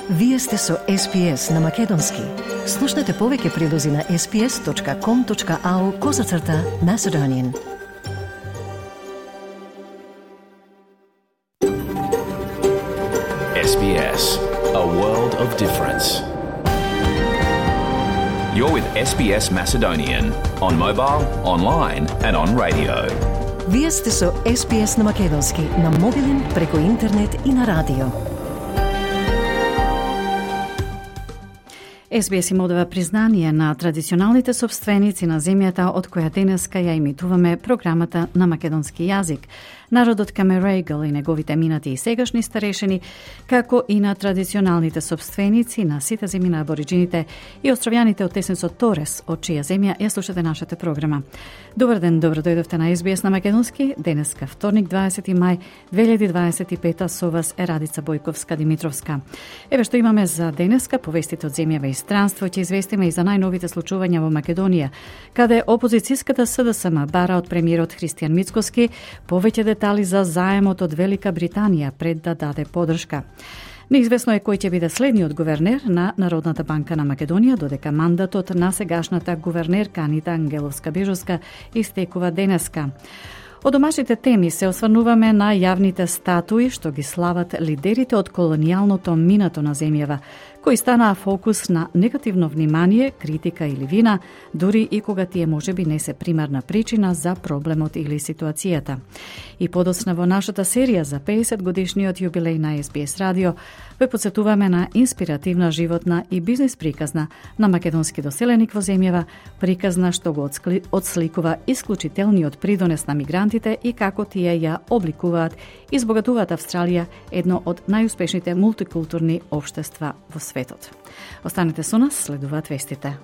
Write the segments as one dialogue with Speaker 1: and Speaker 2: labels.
Speaker 1: Вие сте со SPS на Македонски. Слушнете повеќе прилози на sps.com.au/Macedonian.
Speaker 2: SBS, a world of difference. You're with SBS Macedonian on mobile, online and on radio.
Speaker 1: Вие сте со SPS на Македонски на мобилен, преку интернет и на радио.
Speaker 3: SBS им одава признание на традиционалните собственици на земјата од која денеска ја имитуваме програмата на македонски јазик. Народот Камерегал и неговите минати и сегашни старешени, како и на традиционалните собственици на сите земји на абориджините и островјаните од тесенцот Торес, од чија земја ја слушате нашата програма. Добар ден, добро дојдовте на SBS на Македонски. Денеска, вторник, 20 мај 2025, со вас е Радица Бојковска-Димитровска. Еве што имаме за денеска: повестите од земјава и странство, ќе известиме и за најновите случувања во Македонија, каде опозицијската СДСМ бара од премиерот Христијан Мицкоски повеќе детали за заемот од Велика Британија пред да даде подршка. Неизвестно е кој ќе биде следниот гувернер на Народната банка на Македонија, додека мандатот на сегашната гувернерка Анита Ангеловска-Бежовска истекува денеска. Од домашните теми се осврнуваме на јавните статуи што ги слават лидерите од колонијалното минато на земјава, кои станаа фокус на негативно внимание, критика или вина, дури и кога тие можеби не се примарна причина за проблемот или ситуацијата. И подоцна во нашата серија за 50 годишниот јубилеј на SBS радио ве подсетуваме на инспиративна животна и бизнис приказна на македонски доселеник во земјава, приказна што го одсликува исклучителниот придонес на мигрантите и како тие ја обликуваат и збогатуваат Австралија, едно од најуспешните мултикултурни општества во светот. Останете со нас, следуваат вестите.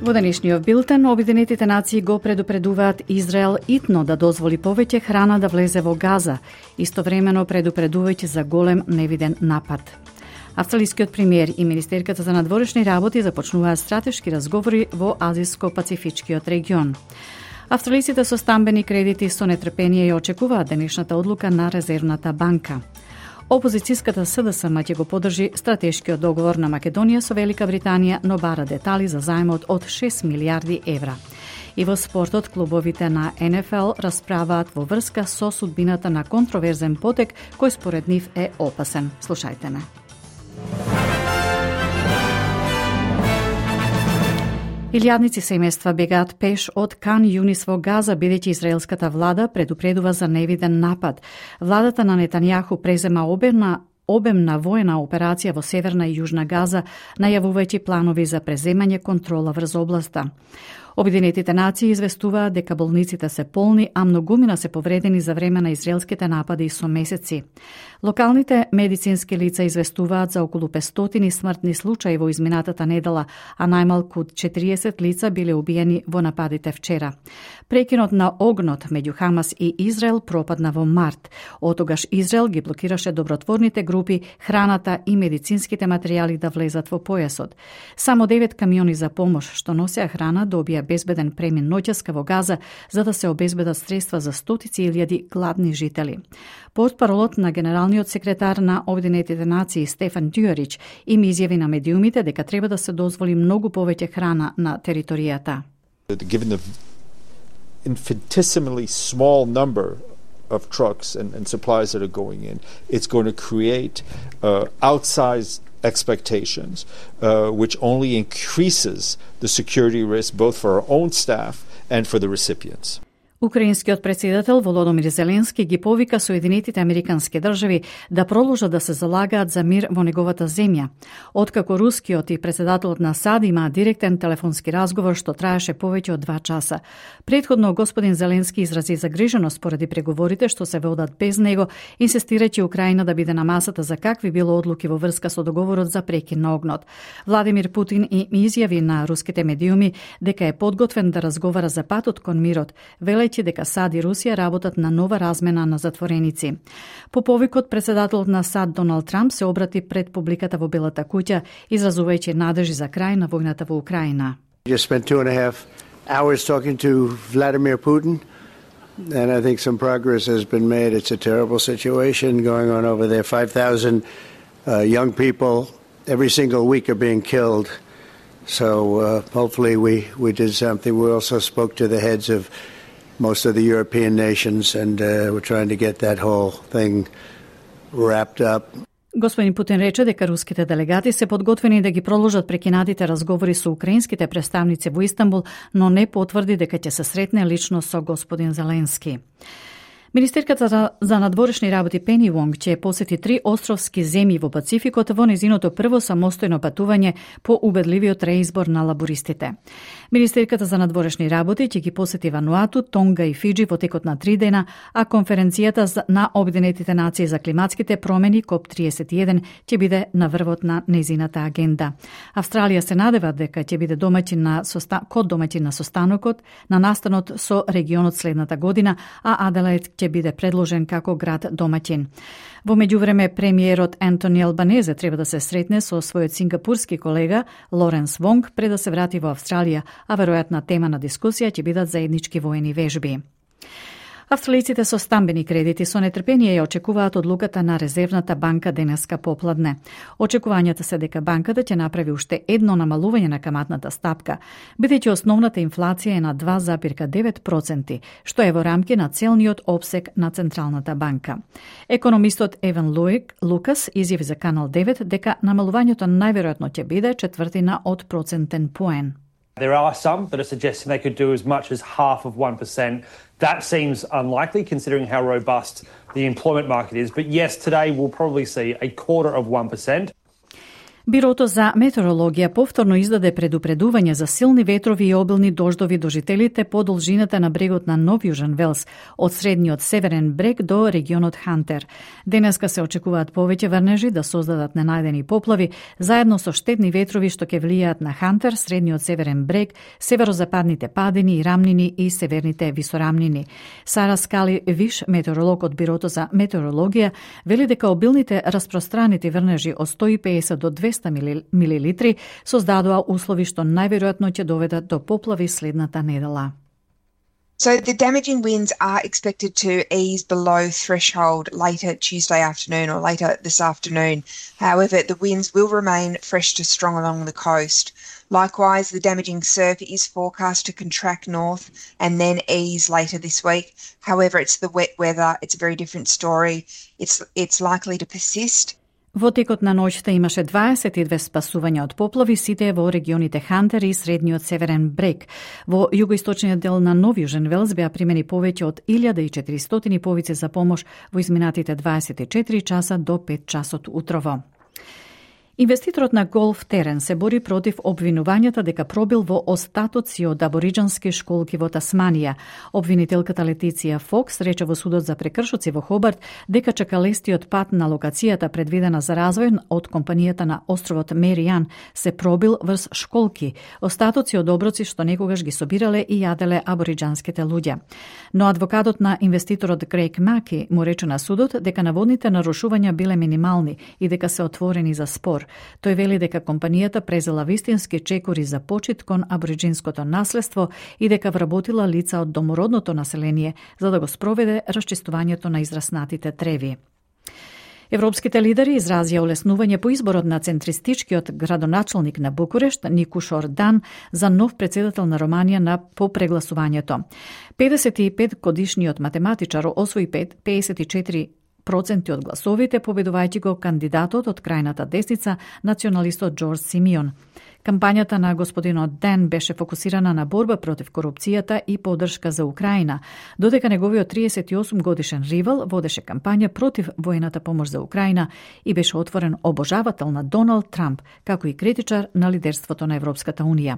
Speaker 3: Во денешниот билтен, Обединетите нации го предупредуваат Израел итно да дозволи повеќе храна да влезе во Газа, истовремено предупредувајќи за голем невиден напад. Австралискиот премиер и министерката за надворешни работи започнуваат стратешки разговори во Азиско-Пацифичкиот регион. Австралиците со стамбени кредити со нетрпение ја очекуваат денешната одлука на Резервната банка. Опозицијската СДСМ ќе го поддржи стратешкиот договор на Македонија со Велика Британија, но бара детали за заемот од 6 милиарди евра. И во спортот, клубовите на НФЛ расправаат во врска со судбината на контроверзен потек кој според нив е опасен. Слушајте ме. Илјадници семејства бегаат пеш од Кан Юнис во Газа, бидејќи израелската влада предупредува за невиден напад. Владата на Нетањаху презема обемна воена операција во Северна и Јужна Газа, најавувајќи планови за преземање контрола врз областа. Обединетите нации известуваат дека болниците се полни, а многумина се повредени за време на израелските напади со месеци. Локалните медицински лица известуваат за околу 500 смртни случаи во изминатата недела, а најмалку 40 лица биле убиени во нападите вчера. Прекинот на огнот меѓу Хамас и Израел пропадна во март. Отогаш Израел ги блокираше добротворните групи, храната и медицинските материјали да влезат во појасот. Само 9 камиони за помош што носеа храна добија безбеден премин ноќеска во Газа за да се обезбедат средства за стотици илјади гладни жители. Портпаролот на генералниот секретар на Обединетите нации Стефан Дюарич им изјави на медиумите дека треба да се дозволи многу повеќе храна на територијата.
Speaker 4: Given the infinitesimally small number of trucks and supplies that are going in, it's going to create outsized expectations, which only increases the security risk both for our own staff and for the recipients.
Speaker 3: Украинскиот председател Володомир Зеленски ги повика Соединетите Американски држави да продолжат да се залагаат за мир во неговата земја. Откако рускиот и председателот на САД има директен телефонски разговор што траеше повеќе од 2 часа. Предходно господин Зеленски изрази загриженост поради преговорите што се водат без него, инсистирајќи Украина да биде на масата за какви било одлуки во врска со договорот за прекин на огнот. Владимир Путин им изјави на руските медиуми дека е подготвен да разговара за патот кон мирот, велејќи дека САД и Русија работат на нова размена на затвореници. По повикот, председателот на САД Доналд Трамп се обрати пред публиката во Белата куќа, изразувајќи надежи за крај на војната во Украина.
Speaker 5: Just spent 2.5 hours talking to Vladimir Putin. and I think some progress has been made. It's a terrible situation going on over there. 5,000 young people every single week are being killed. So hopefully we did something. We also spoke to the heads of most of the European nations, and we're trying to get that whole thing wrapped up.
Speaker 3: Господин Путин рече дека руските делегати се подготвени да ги продолжат прекинатите разговори со украинските представници во Истанбул, но не потврди дека ќе се сретне лично со господин Зеленски. Министерката за надворешни работи Пени Вонг ќе посети 3 островски земји во Пацификот во незиното прво самостојно патување по убедливиот реизбор на лабористите. Министерката за надворешни работи ќе ги посети Вануату, Тонга и Фиджи во текот на 3 дена, а конференцијата на Обединетите нации за климатските промени КОП-31 ќе биде на врвот на незината агенда. Австралија се надева дека ќе биде домаќин на состанокот на настанот со регионот следната година, а Аделаид ќе биде предложен како град домаќин. Во меѓувреме, премиерот Ентони Албанезе треба да се сретне со својот сингапурски колега Лоренс Вонг пред да се врати во Австралија, а веројатна тема на дискусија ќе бидат заеднички воени вежби. Австралиците со стамбени кредити со нетрпение ја очекуваат одлуката на Резервната банка денеска попладне. Очекувањата се дека банката ќе направи уште едно намалување на каматната стапка, бидејќи основната инфлација е на 2,9%, што е во рамки на целниот опсег на Централната банка. Економистот Еван Лукас изјави за Канал 9 дека намалувањето најверојатно ќе биде четвртина од процентен поен.
Speaker 6: There are some that are suggesting they could do as much as half of 1%. That seems unlikely considering how robust the employment market is. But yes, today we'll probably see a quarter of 1%.
Speaker 3: Бирото за метеорологија повторно издаде предупредување за силни ветрови и обилни дождови до жителите по должината на брегот на Нов Јужен Велс, од средниот северен брег до регионот Хантер. Денеска се очекуваат повеќе врнежи да создадат ненајдени поплави, заедно со штетни ветрови што ќе влијаат на Хантер, средниот северен брег, северозападните падини и рамнини и северните висорамнини. Сара Скали Виш, метеоролог од Бирото за метеорологија, вели дека обилните распространети врнежи од 150 до 200 милилитри создадоа услови што најверојатно ќе доведат до поплави следната недела.
Speaker 7: So the damaging winds are expected to ease below threshold later Tuesday afternoon or later this afternoon. However, the winds will remain fresh to strong along the coast. Likewise, the damaging surf is forecast to contract north and then ease later this week. However, it's the wet weather. It's a very different story. It's likely to persist.
Speaker 3: Во текот на ноќта имаше 22 спасувања од поплави, сите во регионите Хантер и средниот северен брег. Во југоисточниот дел на Нов Јужен Велс беа примени повеќе од 1400 повици за помош во изминатите 24 часа до 5 часот утрово. Инвеститорот на голф терен се бори против обвинувањата дека пробил во остатоци од абориџански школки во Тасманија. Обвинителката Летиција Фокс рече во судот за прекршоци во Хобарт дека чакалестиот пат на локацијата предвидена за развој од компанијата на островот Меријан се пробил врз школки, остатоци од оброци што некогаш ги собирале и јаделе абориџанските луѓе. Но адвокатот на инвеститорот Грег Маки му рече на судот дека наводните нарушувања биле минимални и дека се отворени за спор. Тој вели дека компанијата презела вистински чекори за почит кон абориџинското наследство и дека вработила лица од домородното население за да го спроведе расчистувањето на израснатите треви. Европските лидери изразија олеснување по изборот на центристичкиот градоначалник на Букурешт, Никуш Ордан, за нов председател на Романија по прегласувањето. 55-годишниот математичар освои 54% од гласовите, победувајќи го кандидатот од крајната десница, националистот Џорџ Симеон. Кампањата на господинот Ден беше фокусирана на борба против корупцијата и поддршка за Украина, додека неговиот 38 годишен ривал водеше кампања против воената помош за Украина и беше отворен обожавател на Доналд Трамп, како и критичар на лидерството на Европската унија.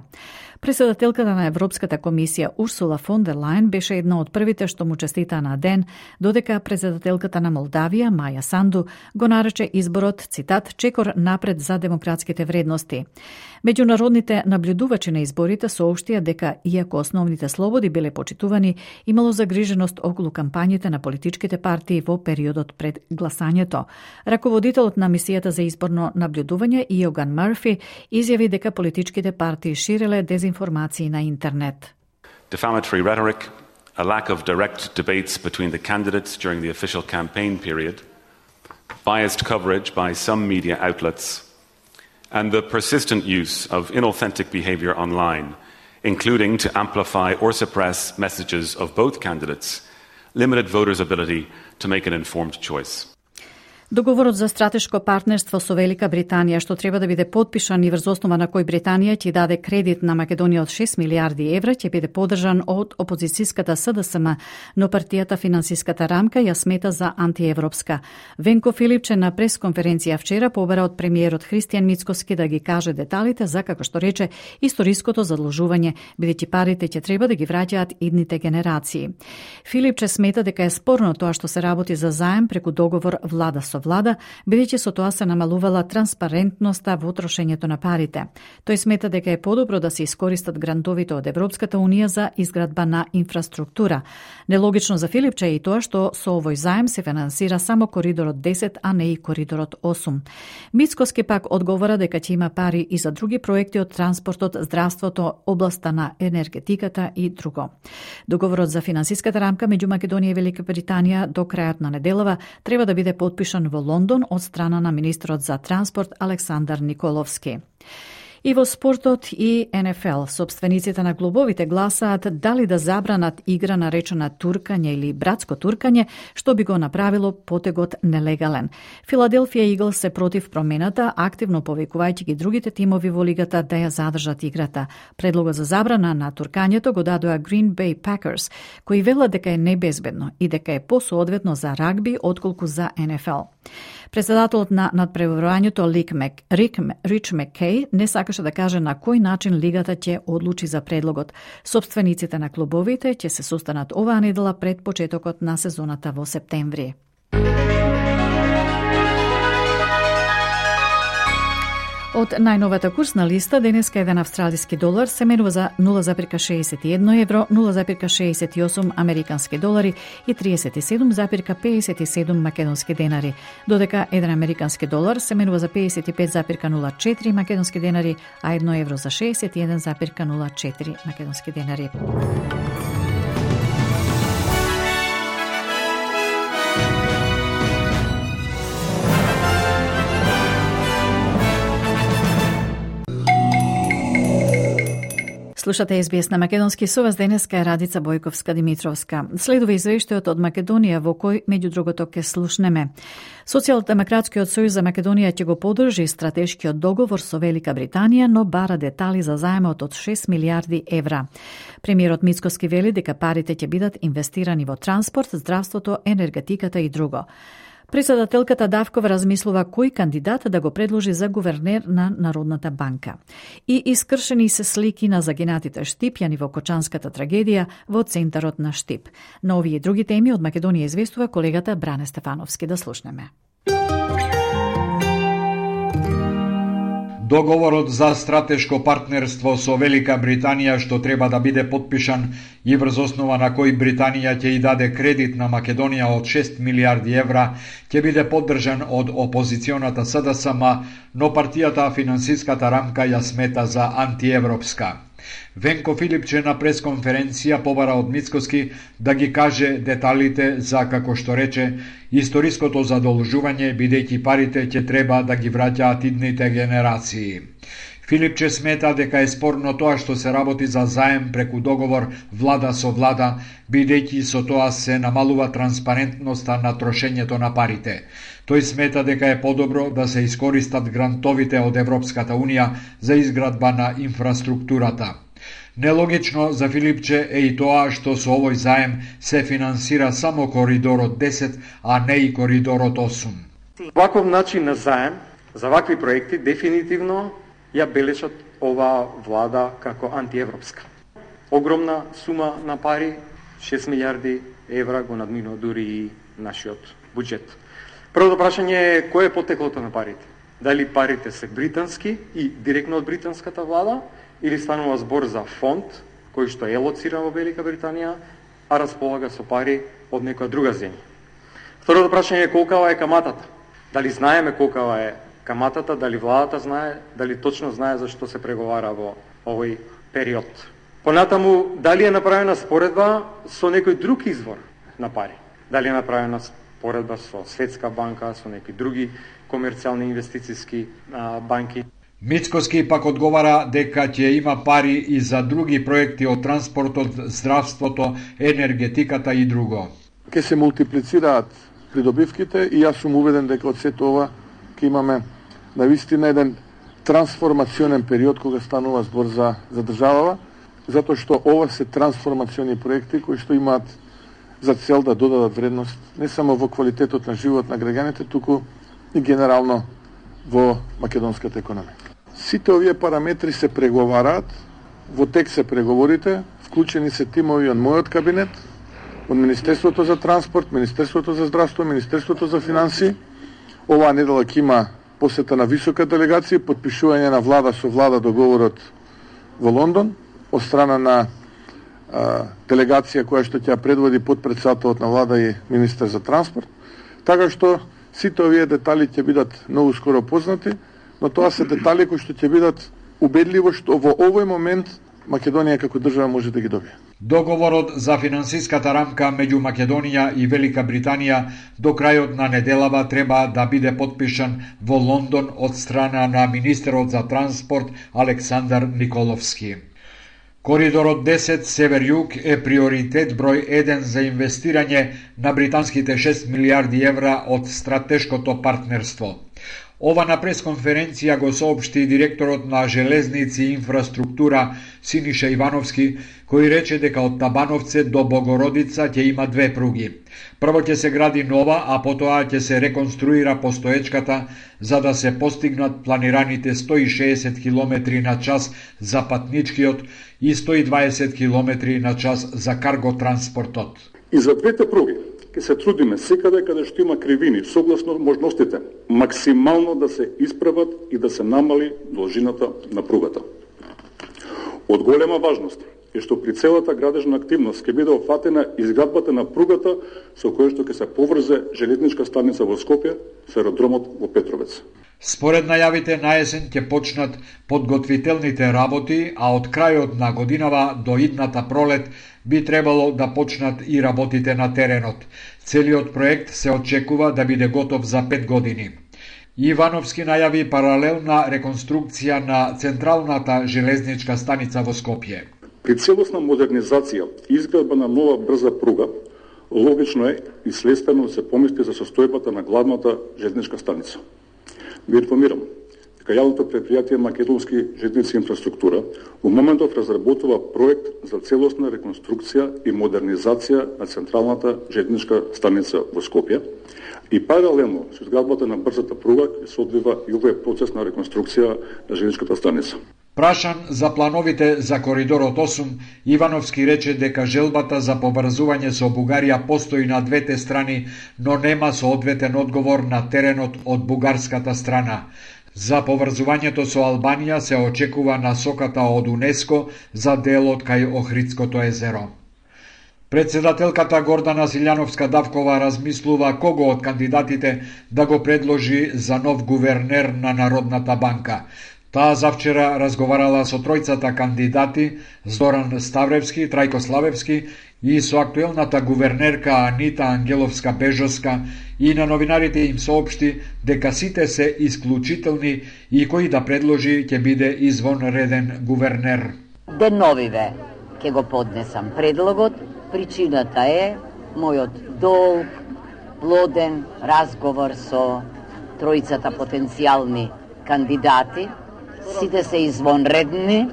Speaker 3: Председателката на Европската комисија Урсула фон дер Лајен беше една од првите што му честита на Ден, додека председателката на Молдавија Маја Санду го нарече изборот, цитат, чекор напред за демократските вредности. Меѓународните наблюдувачи на изборите соопштија дека, иако основните слободи биле почитувани, имало загриженост околу кампањите на политичките партии во периодот пред гласањето. Раководителот на мисијата за изборно наблюдување Иоган Мърфи изјави дека политичките партии ширеле дезинформации на интернет.
Speaker 8: Defamatory rhetoric a lack of direct debates between the candidates during the official campaign period, biased coverage by some media outlets, and the persistent use of inauthentic behaviour online, including to amplify or suppress messages of both candidates, limited voters' ability to make an informed choice.
Speaker 3: Договорот за стратешко партнерство со Велика Британија, што треба да биде подпишан и врз основа на кој Британија ќе даде кредит на Македонија од 6 милиарди евра, ќе биде подржан од опозицијската СДСМ, но партијата Финансиската рамка ја смета за антиевропска. Венко Филипче на пресконференција вчера побара од премиерот Христијан Мицкоски да ги каже деталите за, како што рече, историското задлужување, бидејќи парите ќе треба да ги враќаат идните генерации. Филипче смета дека е спорно тоа што се работи за заем преку договор влада со влада, бидејќи со тоа се намалувала транспарентноста во трошењето на парите. Тој смета дека е подобро да се искористат грантовите од Европската унија за изградба на инфраструктура. Нелогично за Филипче е и тоа што со овој заем се финансира само коридорот 10, а не и коридорот 8. Мицкоски пак одговора дека ќе има пари и за други проекти од транспортот, здравството, областа на енергетиката и друго. Договорот за финансиската рамка меѓу Македонија и Велика Британија до крајот на неделава треба да биде подпишан во Лондон од страна на министрот за транспорт Александар Николовски. И во спортот и НФЛ, собствениците на клубовите гласаат дали да забранат игра наречена туркање или братско туркање, што би го направило потегот нелегален. Филаделфија Иглс се против промената, активно повикувајќи ги другите тимови во лигата да ја задржат играта. Предлогот за забрана на туркањето го дадоа Green Bay Packers, кои велат дека е небезбедно и дека е посоодветно за рагби отколку за НФЛ. Председателот на надпреварувањето Рич Маккей не сакаше да каже на кој начин лигата ќе одлучи за предлогот. Собствениците на клубовите ќе се состанат оваа недела пред почетокот на сезоната во септември. Од најновата курсна листа, денеска еден австралиски долар се менува за 0,61 евро, 0,68 американски долари и 37,57 македонски денари, додека еден американски долар се менува за 55,04 македонски денари, а 1 евро за 61,04 македонски денари. Слушате SBS на македонски, со вас денеска е Радица Бојковска-Димитровска. Следува извештајот од Македонија во кој, меѓу другото, ке слушнеме. Социјалдемократскиот сојуз за Македонија ќе го поддржи стратешкиот договор со Велика Британија, но бара детали за заемот од 6 милиарди евра. Премиерот Мицкоски вели дека парите ќе бидат инвестирани во транспорт, здравството, енергетиката и друго. Председателката Давкова размислува кој кандидат да го предложи за гувернер на Народната банка. И искршени се слики на загинатите штипјани во Кочанската трагедија во центарот на Штип. На овие и други теми од Македонија известува колегата Бране Стефановски. Да слушнеме.
Speaker 9: Договорот за стратешко партнерство со Велика Британија што треба да биде подпишан и врз основа на кој Британија ќе и даде кредит на Македонија од 6 милиарди евра, ќе биде поддржан од опозиционата СДСМ, но партијата Финансиската рамка ја смета за антиевропска. Венко Филипче на пресконференција побара од Мицкоски да ги каже деталите за, како што рече, историското задолжување, бидејќи парите ќе треба да ги враќаат идните генерации. Филипче смета дека е спорно тоа што се работи за заем преку договор влада со влада, бидејќи со тоа се намалува транспарентноста на трошењето на парите. Тој смета дека е подобро да се искористат грантовите од Европската унија за изградба на инфраструктурата. Нелогично за Филипче е и тоа што со овој заем се финансира само коридорот 10, а не и коридорот 8.
Speaker 10: Ваков начин на заем за вакви проекти дефинитивно ја бележат оваа влада како антиевропска. Огромна сума на пари, 6 милиарди евра, го надминува дури и нашиот буџет. Првото прашање е кој е потеклото на парите? Дали парите се британски и директно од британската влада, или станува збор за фонд кој што е лоциран во Велика Британија, а располага со пари од некоја друга земја? Второто прашање е колкава е каматата? Дали знаеме колкава е каматата, дали владата знае, дали точно знае за што се преговара во овој период? Понатаму, дали е направена споредба со некој друг извор на пари? Дали е направена споредба со Светска банка, со некои други комерцијални инвестициски банки?
Speaker 9: Мицкоски пак одговара дека ќе има пари и за други проекти од транспортот, здравството, енергетиката и друго.
Speaker 11: Ке се мултиплицираат придобивките и јас сум уведен дека од сето ова ќе имаме навистина еден трансформационен период кога станува збор за државава, затоа што ова се трансформациони проекти кои што имаат за цел да додадат вредност не само во квалитетот на живот на граѓаните, туку и генерално во македонската економија. Сите овие параметри се преговараат, во тек се преговорите, вклучени се тимови од мојот кабинет, од Министерството за транспорт, Министерството за здравство, Министерството за финансии. Оваа недела ќе има посета на висока делегација, потпишување на влада со влада договорот во Лондон, од страна на делегација која што ќе предводи потпредседателот на влада и министер за транспорт. Така што сите овие детали ќе бидат многу скоро познати, но тоа се детали кои што ќе бидат убедливо што во овој момент Македонија како држава може да ги добие.
Speaker 9: Договорот за финансиската рамка меѓу Македонија и Велика Британија до крајот на неделава треба да биде потпишан во Лондон од страна на министерот за транспорт Александар Николовски. Коридорот 10 Север-Југ е приоритет број 1 за инвестирање на британските 6 милиарди евра од стратешкото партнерство. Ова на пресконференција го соопшти директорот на Железници и инфраструктура Синиша Ивановски, кој рече дека од Табановце до Богородица ќе има две пруги. Прво ќе се гради нова, а потоа ќе се реконструира постоечката за да се постигнат планираните 160 км на час за патничкиот и 120 км на час за карго транспортот.
Speaker 12: И за двете пруги ќе се трудиме секаде каде што има кривини, согласно можностите, максимално да се исправат и да се намали должината на пругата. Од голема важност е што при целата градежна активност ќе биде офатена изградбата на пругата со која што ќе се поврзе железничка станица во Скопје со аеродромот во Петровец.
Speaker 9: Според најавите на есен ќе почнат подготвителните работи, а од крајот на годинава до идната пролет би требало да почнат и работите на теренот. Целиот проект се очекува да биде готов за 5 години. Ивановски најави паралелна реконструкција на централната железничка станица во Скопје.
Speaker 12: При целосна модернизација и изградба на нова брза пруга, логично е и следствено да се помисли за состојбата на главната железничка станица. Ви информирам дека јавното предпријатие Македонски железници инфраструктура во моментов разработува проект за целосна реконструкција и модернизација на централната железничка станица во Скопје и паралелно со изградбата на брзата пруга ќе се одвива и овој процес на реконструкција на железничката станица.
Speaker 9: Прашан за плановите за коридорот 8, Ивановски рече дека желбата за поврзување со Бугарија постои на двете страни, но нема соодветен одговор на теренот од бугарската страна. За поврзувањето со Албанија се очекува насоката од УНЕСКО за делот кај Охридското езеро. Председателката Гордана Силјановска-Давкова размислува кого од кандидатите да го предложи за нов гувернер на Народната банка. Таа завчера разговарала со тројцата кандидати Зоран Ставревски, Трајко Славевски и со актуелната гувернерка Анита Ангеловска-Бежоска и на новинарите им соопшти дека сите се исклучителни и кој да предложи ќе биде извонреден гувернер.
Speaker 13: Деновиве ќе го поднесам предлогот. Причината е мојот долг, плоден разговор со тројцата потенцијални кандидати. Сите се извонредни,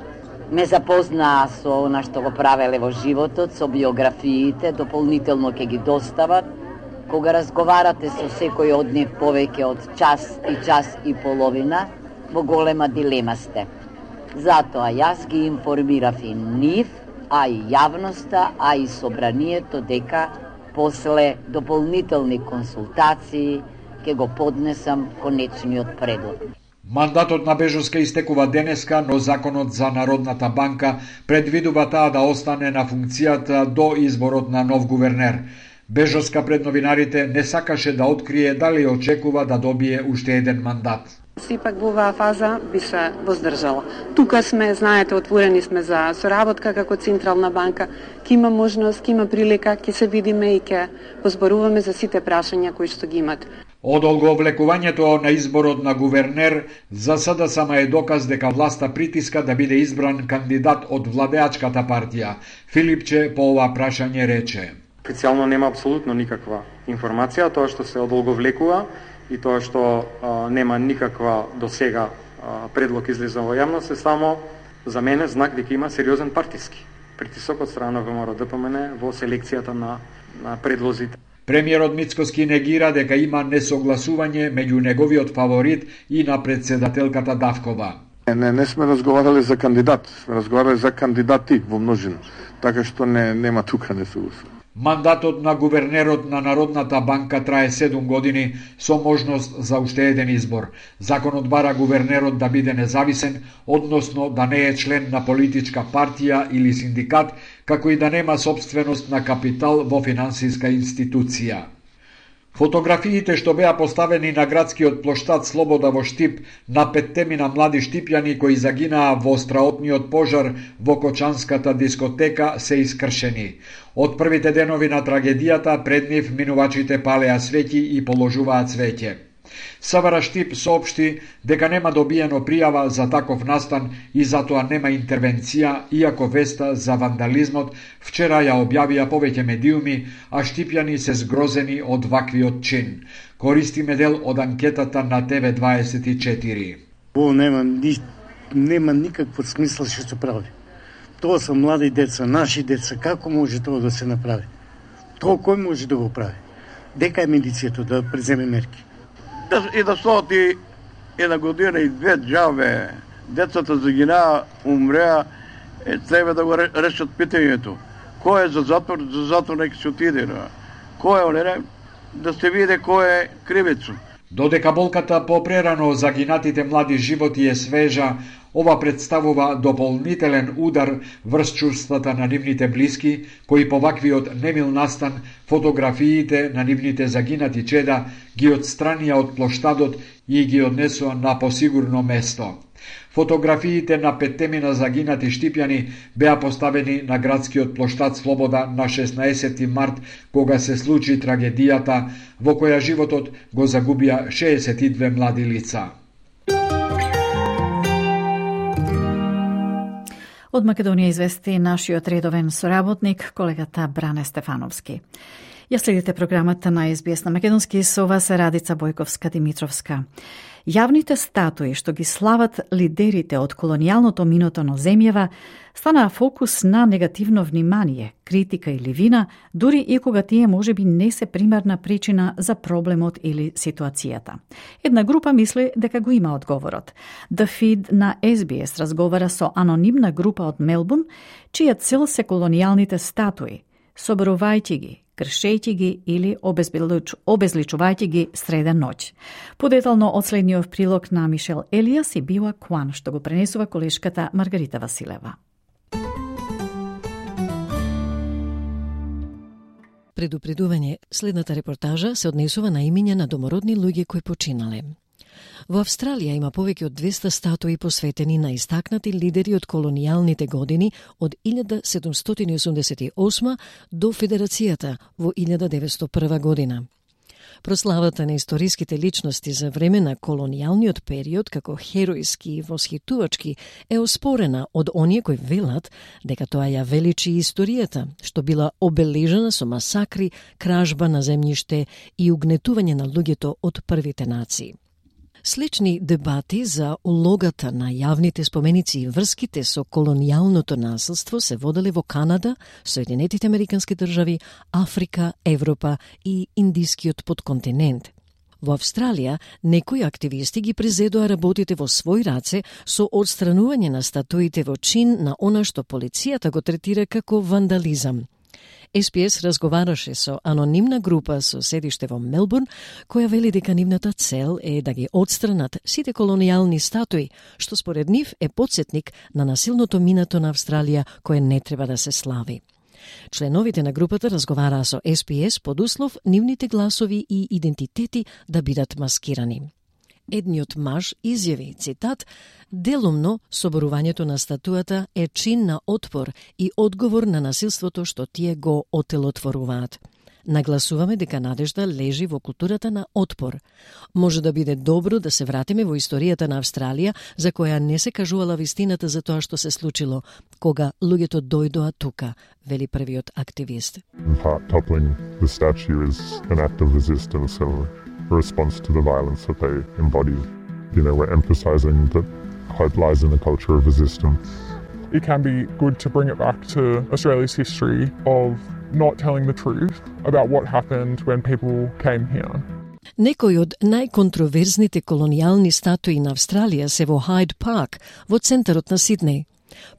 Speaker 13: ме запознаа со она што го правеле во животот, со биографиите, дополнително ќе ги достават. Кога разговарате со секој од нив повеќе од час и половина, во голема дилема сте. Затоа јас ги информирав и нив, а и јавноста, а и собранието дека после дополнителни консултации ќе го поднесам конечниот предлог.
Speaker 9: Мандатот на Бежоска истекува денеска, но законот за Народната банка предвидува таа да остане на функцијата до изборот на нов гувернер. Бежоска пред новинарите не сакаше да открие дали очекува да добие уште еден мандат.
Speaker 14: Сепак во оваа фаза би се воздржала. Тука сме, знаете, отворени сме за соработка како Централна банка. Ке има можност, ке има прилика, ке се видиме и ке позборуваме за сите прашања кои што ги имат.
Speaker 9: Одолговлекувањето на изборот на гувернер за сада сама е доказ дека власта притиска да биде избран кандидат од владеачката партија. Филипче по ова прашање рече:
Speaker 10: Официјално нема апсолутно никаква информација, тоа што се одолговлекува и тоа што нема никаква досега предлог излезен во јавност е само за мене знак дека има сериозен партиски притисок од страна на ВМРО-ДПМН во селекцијата на предлозите.
Speaker 9: Премиерот Мицкоски негира дека има несогласување меѓу неговиот фаворит и на председателката Давкова.
Speaker 11: Не сме разговарали за кандидат, сме разговарали за кандидати во множина, така што нема тука несогласување.
Speaker 9: Мандатот на гувернерот на Народната банка трае 7 години со можност за уште еден избор. Законот бара гувернерот да биде независен, односно да не е член на политичка партија или синдикат, како и да нема собственост на капитал во финансиска институција. Фотографиите што беа поставени на градскиот плоштад Слобода во Штип на 5 млади штипјани кои загинаа во страотниот пожар во Кочанската дискотека се искршени. Од првите денови на трагедијата пред нив минувачите палеа свеќи и положуваат цвеќе. СВР Штип соопшти дека нема добиено пријава за таков настан и затоа нема интервенција, иако веста за вандализмот вчера ја објавија повеќе медиуми, а штипјани се згрозени од ваквиот чин. Користиме дел од анкетата на ТВ24.
Speaker 15: Нема никакво смисла што се прави. Тоа се млади деца, наши деца, како може тоа да се направи? Тоа кој може да го прави? Дека е медицијата да преземе мерки?
Speaker 16: И да стоти 1 година и 2 джаве, децата загинаа, умреа, треба да го решат питањето. Кој е за затвор нека се отиде. Кој е, да се види кој е кривецо.
Speaker 9: Додека болката по прерано загинатите млади животи е свежа, ова представува дополнителен удар врз чувствата на нивните блиски, кои по ваквиот немил настан фотографиите на нивните загинати чеда ги отстранија од плоштадот и ги однесоа на посигурно место. Фотографиите на 5 загинати штипјани беа поставени на градскиот плоштад Слобода на 16 март, кога се случи трагедијата во која животот го загубија 62 млади лица.
Speaker 3: Од Македонија извести нашиот редовен соработник, колегата Бране Стефановски. Ја следите програмата на СБС на македонски, со вас е Радица Бојковска-Димитровска. Јавните статуи што ги слават лидерите од колонијалното минато на земјава станаа фокус на негативно внимание, критика или вина, дури и кога тие можеби не се примарна причина за проблемот или ситуацијата. Една група мисли дека го има одговорот. The Feed на SBS разговара со анонимна група од Мелбурн, чија цел се колонијалните статуи, соборувајќи ги, кршејќи ги или обезличувајќи ги среда ноќ. Подетално од следниот прилог на Мишел Елиас и Била Куан, што го пренесува колешката Маргарита Василева.
Speaker 17: Предупредување, следната репортажа се однесува на имиња на домородни луѓе кои починале. Во Австралија има повеќе од 200 статуи посветени на истакнати лидери од колонијалните години од 1788 до Федерацијата во 1901 година. Прославата на историските личности за време на колонијалниот период како херојски и восхитувачки е оспорена од оние кои велат дека тоа ја величи историјата, што била обележена со масакри, кражба на земјиште и угнетување на луѓето од првите нации. Слични дебати за улогата на јавните споменици и врските со колонијалното насилство се воделе во Канада, Соединетите Американски држави, Африка, Европа и Индискиот подконтинент. Во Австралија, некои активисти ги презедоа работите во свој раце со отстранување на статуите во чин на она што полицијата го третира како вандализам. СПС разговараше со анонимна група со седиште во Мелбурн, која вели дека нивната цел е да ги отстранат сите колонијални статуи, што според нив е потсетник на насилното минато на Австралија, кое не треба да се слави. Членовите на групата разговараа со СПС под услов нивните гласови и идентитети да бидат маскирани. едниот маж изјави, цитат, делумно соборувањето на статуата е чин на отпор и одговор на насилството што тие го отелотворуваат. Нагласуваме дека надежда лежи во културата на отпор. Може да биде добро да се вратиме во историјата на Австралија, за која не се кажувала вистината за тоа што се случило, кога луѓето дојдоа тука, вели првиот активист.
Speaker 18: In part, toppling the statue is an act of resistance and a response to the violence that they embody. You know, we're emphasizing that hope lies in the culture of resistance.
Speaker 19: It can be good to bring it back to Australia's history of not telling the truth about what happened when people came here.
Speaker 17: Некои од најконтроверзните колонијални статуи на Австралија се во Хайд Парк, во центарот на Сиднеј.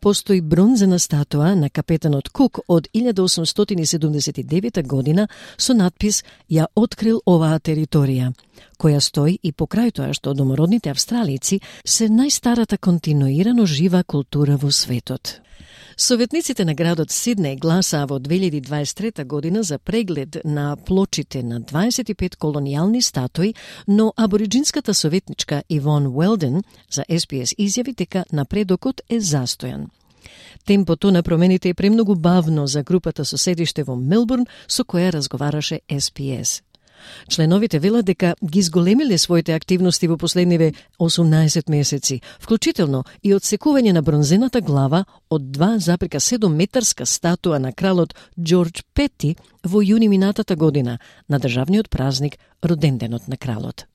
Speaker 17: Постои бронзена статуа на капетанот Кук од 1879 година со надпис «Ја открил оваа територија», која стои и покрај тоа што домородните австралици се најстарата континуирано жива култура во светот. Советниците на градот Сиднеј гласаа во 2023 година за преглед на плочите на 25 колонијални статуи, но абориджинската советничка Ивон Уелден за SPS изјави дека напредокот е застојан. Темпото на промените е премногу бавно за групата со седиште во Мелбурн со која разговараше SPS. Членовите велат дека ги зголемиле своите активности во последниве 18 месеци, вклучително и одсекување на бронзената глава од 2,7 метарска статуа на кралот Џорџ Пети во јуни минатата година, на државниот празник роденденот на кралот.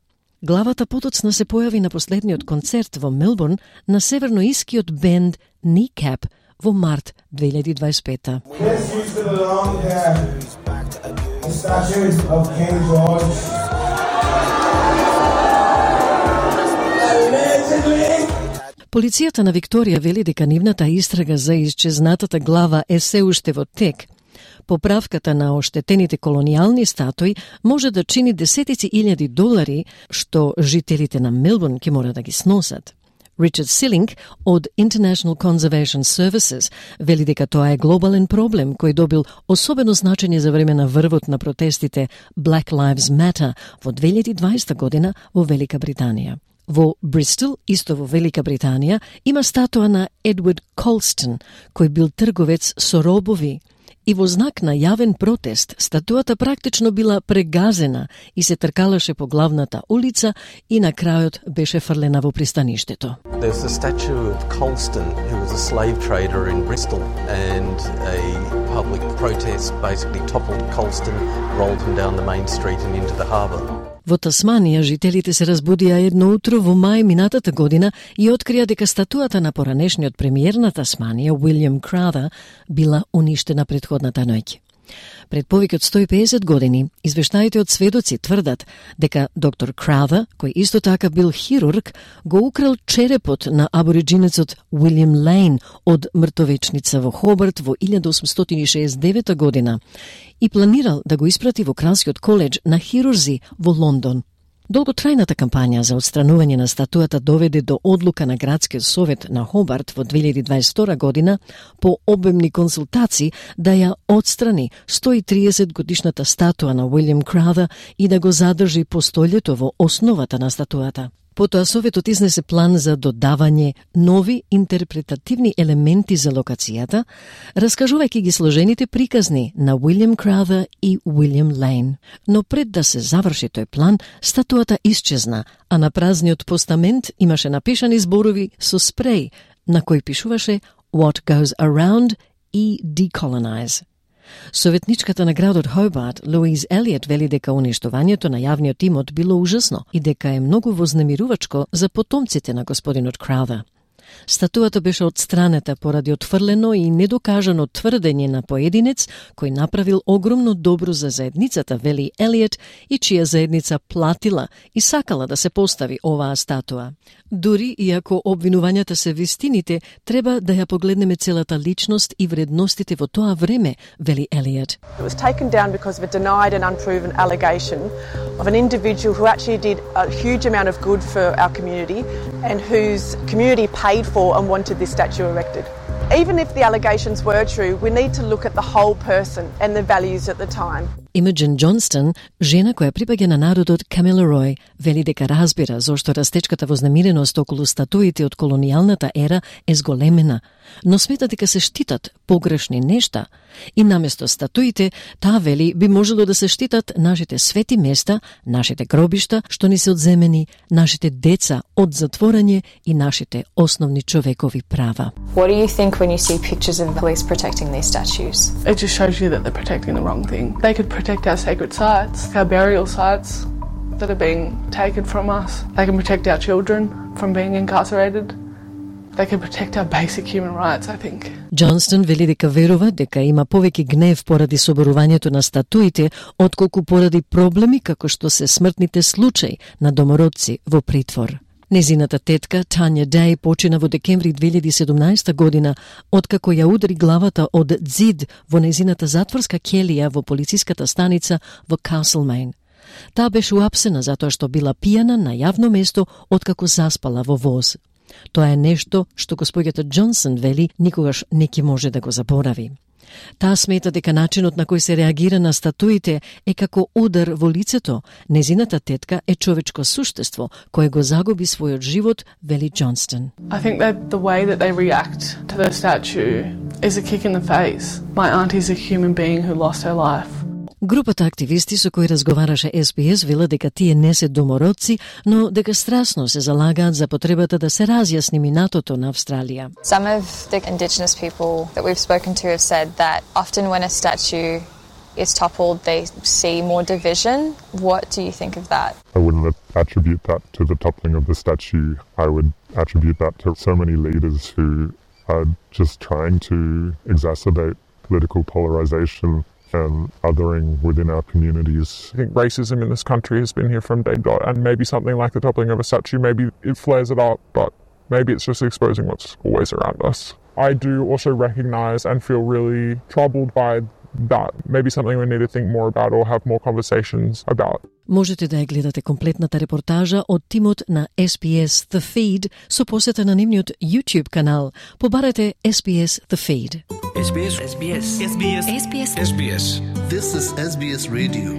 Speaker 17: Главата потоцна се појави на последниот концерт во Мелбурн на северноискиот бенд Kneecap во март 2025.
Speaker 20: The statues of King George. Allegedly.
Speaker 17: Полицијата на Викторија вели дека нивната истрага за исчезнатата глава е се уште во тек. Поправката на оштетените колонијални статуи може да чини десетици илјади долари, што жителите на Мелбурн ќе мора да ги сносат. Ричард Силинг од International Conservation Services вели дека тоа е глобален проблем кој добил особено значење за време на врвот на протестите Black Lives Matter во 2020 година во Велика Британија. Во Бристол, исто во Велика Британија, има статуа на Едвард Колстон, кој бил трговец со робови. И во знак на јавен протест, статуата практично била прегазена и се тркалаше по главната улица и на крајот беше фрлена во пристаништето.
Speaker 21: There's a statue of Colston, who was a slave trader in Bristol, and a public protest basically toppled Colston, rolled him down the main street and into the harbour.
Speaker 17: Во Тасманија, жителите се разбудија едно утро во мај минатата година и открија дека статуата на поранешниот премиер на Тасманија, Уилјам Краутер, била уништена претходната ноќ. Пред повеќе од 150 години, извештаите од сведоци тврдат дека доктор Краутер, кој исто така бил хирург, го украл черепот на абориджинецот Уилјам Лейн од мртовечница во Хобарт во 1869 година и планирал да го испрати во Кралскиот коледж на хирурзи во Лондон. Долготрајната кампања за отстранување на статуата доведе до одлука на Градскиот совет на Хобарт во 2022 година по обемни консултации да ја отстрани 130 годишната статуа на Уилјам Краутер и да го задржи постолјето во основата на статуата. Потоа Советот изнесе план за додавање нови интерпретативни елементи за локацијата, раскажувајќи ги сложените приказни на Уилјам Краутер и Уилјам Лейн. Но пред да се заврши тој план, статуата исчезна, а на празниот постамент имаше напишани зборови со спреј, на кој пишуваше What goes around и decolonize. Советничката на градот Хобарт, Луиз Елиот, вели дека уништувањето на јавниот имот било ужасно и дека е многу вознемирувачко за потомците на господинот Краутер. Статуата беше отстранета поради отфрлено и недокажано тврдење на поединец кој направил огромно добро за заедницата, вели Елиот, и чија заедница платила и сакала да се постави оваа статуа. Дури и ако обвинувањата се вистините, треба да ја погледнеме целата личност и вредностите во тоа време, вели Елиот.
Speaker 22: It was taken down because of a denied and unproven allegation of an individual who actually did a huge amount of good for our community and whose community paid for and wanted this statue erected. Even if the allegations were true, we need to look at the whole person and the values at the time.
Speaker 17: Imogen Johnston, жена која припаѓа на народот Kamilaroi, вели дека разбира зошто растечката вознемиреност околу статуите од колонијалната ера е зголемена, но смета дека се штитат погрешни нешта и наместо статуите, таа вели би можело да се штитат нашите свети места, нашите гробишта што ни се одземени, нашите деца од затворање и нашите основни човекови права.
Speaker 1: What do you think when you see pictures of police protecting these statues?
Speaker 2: It just shows you that they're protecting the wrong thing. They could protect our sacred sites, our burial sites that are being taken from us. They can protect our children from being incarcerated. They can protect our basic human rights, I think.
Speaker 17: Johnston вели дека верува дека има повеќе гнев поради соборувањето на статуите, отколку поради проблеми како што се смртните случаи на домородци во притвор. Незината тетка, Тања Дей, почина во декември 2017 година, откако ја удари главата од ѕид во незината затворска келија во полициската станица во Castlemaine. Таа беше уапсена затоа што била пијана на јавно место откако заспала во воз. Тоа е нешто што госпоѓата Джонсон вели никогаш не ќе може да го заборави. Таа смета дека начинот на кој се реагира на статуите е како удар во лицето. Незината тетка е човечко суштество кое го загуби својот живот, вели Джонстон.
Speaker 2: I think that the way that they react to the statue is a kick in the face. My auntie's a human being who lost her life.
Speaker 17: Групата активисти со кои разговараше СБС вела дека тие не се домородци, но дека страсно се залагаат за потребата да се разјасни минатото на Австралија.
Speaker 1: Some of the Indigenous people that we've spoken to have said that often when a statue is toppled, they see more division. What do you think of that?
Speaker 18: I wouldn't attribute that to the toppling of the statue. I would attribute that to so many leaders who are just trying to exacerbate political polarization and othering within our communities.
Speaker 19: I think racism in this country has been here from day dot, and maybe something like the toppling of a statue, maybe it flares it up, but maybe it's just exposing what's always around us. I do also recognise and feel really troubled by that. Maybe something we need to think more about or have more conversations about.
Speaker 17: Можете да ја гледате комплетната репортажа од тимот на SBS The Feed со посета на нивниот YouTube канал. Побарете SBS The Feed.
Speaker 23: SBS. SBS. SBS. SBS. SBS. This is SBS Radio.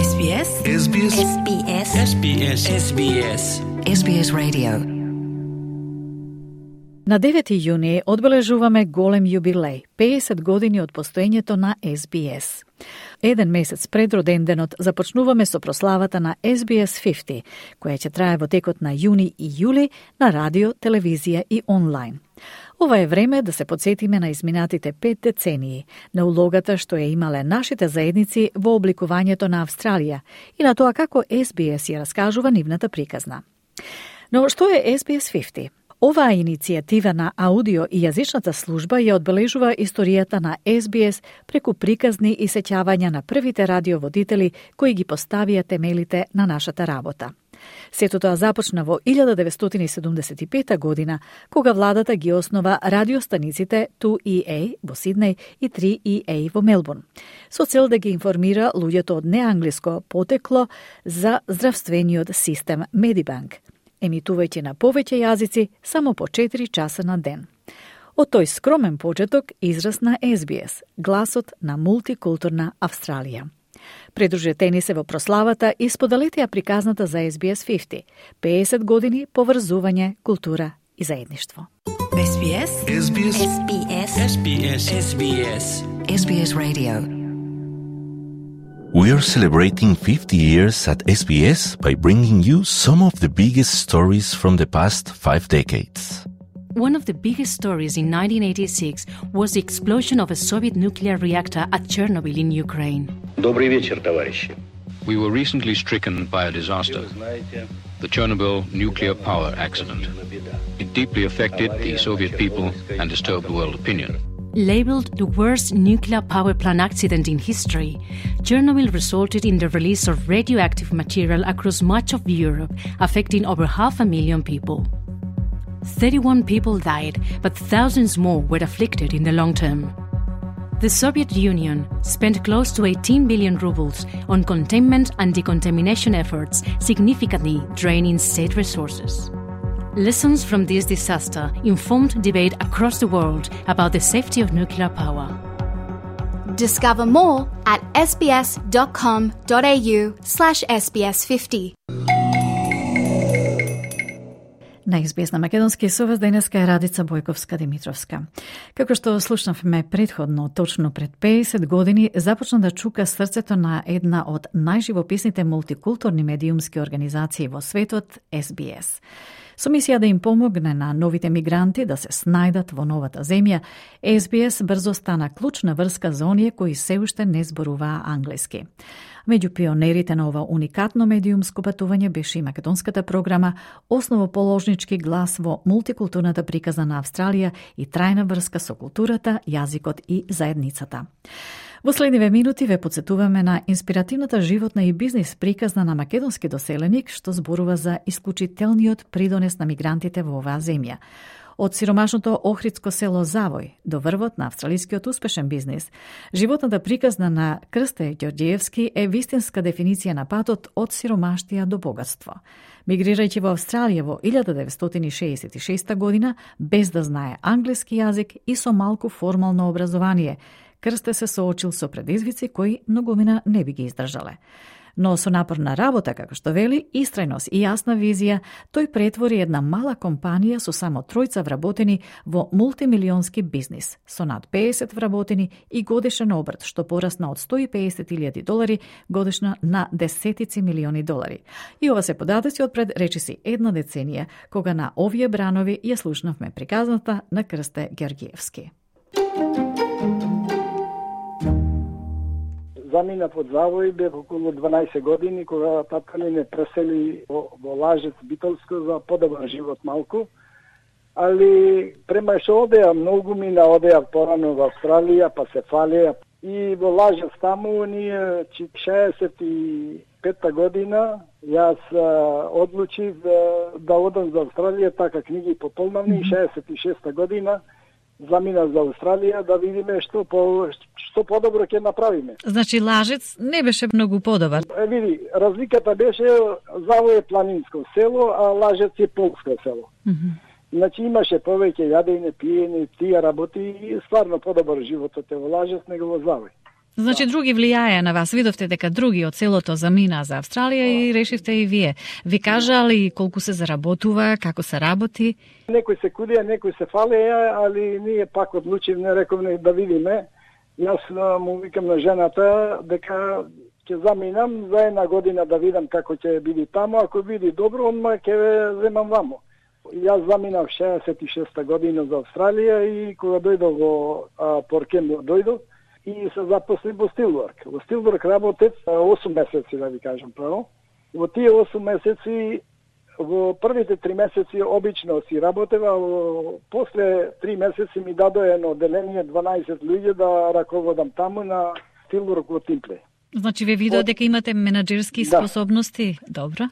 Speaker 24: SBS.
Speaker 23: SBS.
Speaker 24: SBS.
Speaker 23: SBS. SBS.
Speaker 24: SBS Radio.
Speaker 3: На 9 јуни одбележуваме голем јубилеј, 50 години од постоењето на SBS. Еден месец пред роденденот започнуваме со прославата на SBS 50, која ќе трае во текот на јуни и јули на радио, телевизија и онлайн. Ова е време да се подсетиме на изминатите 5 децении, на улогата што ја имале нашите заедници во обликувањето на Австралија и на тоа како SBS ја раскажува нивната приказна. Но што е SBS 50? Оваа иницијатива на аудио и јазичната служба ја одбележува историјата на SBS преку приказни и сеќавања на првите радиоводители кои ги поставија темелите на нашата работа. Сето тоа започна во 1975 година, кога владата ги основа радиостаниците 2EA во Сиднеј и 3EA во Мелбурн, со цел да ги информира луѓето од неанглиско потекло за здравствениот систем Медибанк, емитувајќи на повеќе јазици само по 4 часа на ден. Од тој скромен почеток израсна SBS, гласот на мултикултурна Австралија. Придружете ни се во прославата и споделете ја приказната за SBS 50, 50 години поврзување, култура и заедништво.
Speaker 24: SBS.
Speaker 23: SBS.
Speaker 24: SBS.
Speaker 23: SBS. SBS.
Speaker 24: SBS Radio.
Speaker 25: We are celebrating 50 years at SBS by bringing you some of the biggest stories from the past 5 decades.
Speaker 26: One of the biggest stories in 1986 was the explosion of a Soviet nuclear reactor at Chernobyl in Ukraine.
Speaker 27: Добрый вечер, товарищи.
Speaker 28: We were recently stricken by a disaster, the Chernobyl nuclear power accident. It deeply affected the Soviet people and disturbed world opinion.
Speaker 26: Labeled the worst nuclear power plant accident in history, Chernobyl resulted in the release of radioactive material across much of Europe, affecting over 500,000 people. 31 people died, but thousands more were afflicted in the long term. The Soviet Union spent close to 18 billion rubles on containment and decontamination efforts, significantly draining state resources. Lessons from this disaster informed debate across the world about the safety of nuclear power.
Speaker 4: Discover more at sbs.com.au/sbs50.
Speaker 3: На SBS на македонски со вас денеска е Радица Бојковска-Димитровска. Како што слушнавме предходно, точно пред 50 години започна да чука срцето на една од најживописните мултикултурни медиумски организации во светот, SBS. Со мисија да им помогне на новите мигранти да се снајдат во новата земја, SBS брзо стана клучна врска за оние кои се уште не зборуваа англиски. Меѓу пионерите на ова уникатно медиумско патување беше и македонската програма, основоположнички глас во мултикултурната приказна на Австралија и трајна врска со културата, јазикот и заедницата. Во следниве минути ве подсетуваме на инспиративната животна и бизнис приказна на македонски доселеник што зборува за исклучителниот придонес на мигрантите во оваа земја. Од сиромашното охридско село Завој до врвот на австралискиот успешен бизнис, животната приказна на Крсте Ѓорѓиевски е вистинска дефиниција на патот од сиромаштија до богатство. Мигрирајќи во Австралија во 1966 година, без да знае англиски јазик и со малку формално образование, Крсте се соочил со предизвици кои многумина не би ги издржале. Но со напорна работа, како што вели, истрајност и јасна визија, тој претвори една мала компанија со само 3 вработени во мултимилионски бизнис, со над 50 вработени и годишен обрт, што порасна од $150,000 годишно на десетици милиони долари. И ова се податоци од пред речиси една деценија, кога на овие бранови ја слушнавме приказната на Крсте Ѓорѓиевски.
Speaker 5: Заминав од Завој, бев околу 12 години, кога татка ми ме пресели во Лажец Битолско за подобар живот малку. Али према што одеа, многу мина одеа порано во Австралија, па се фалеа. И во Лажец таму, ние 65-та година, јас одлучив да одам за Австралија, така книги пополнавни, 66-та година, заминав за Австралија да видиме што подобро ќе направиме.
Speaker 3: Значи Лажец не беше многу подобар.
Speaker 5: Види, разликата беше Завој е планинско село, а Лажец е полско село. Значи имаше повеќе јадење, пиење, тие работи и стварно подобар животот е во Лажец него во Завој.
Speaker 3: Значи други влијаја на вас, видовте дека други од селото замина за Австралија и решивте и вие. Ви кажали колку се заработува, како се работи?
Speaker 5: Некои се кудија, некои се фалеја, али ние пак одлучивме, рековме да видиме. Јас му викам на жената дека ќе заминам за една година да видам како ќе биде таму, ако биде добро, онма ќе ве земам вамо. Јас заминав 66-та година за Австралија и кога дојдов во Поркембо дојдов и се запосли во Стилворк. Во Стилворк работев 8 месеци, да ви кажам право. Во тие 8 месеци, во првите 3 месеци обично си работев, а после 3 месеци ми дадоа едно одделение 12 луѓе да раководам таму на Стилворк во Тимпле.
Speaker 3: Значи ве видоа дека имате менаџерски способности, добро?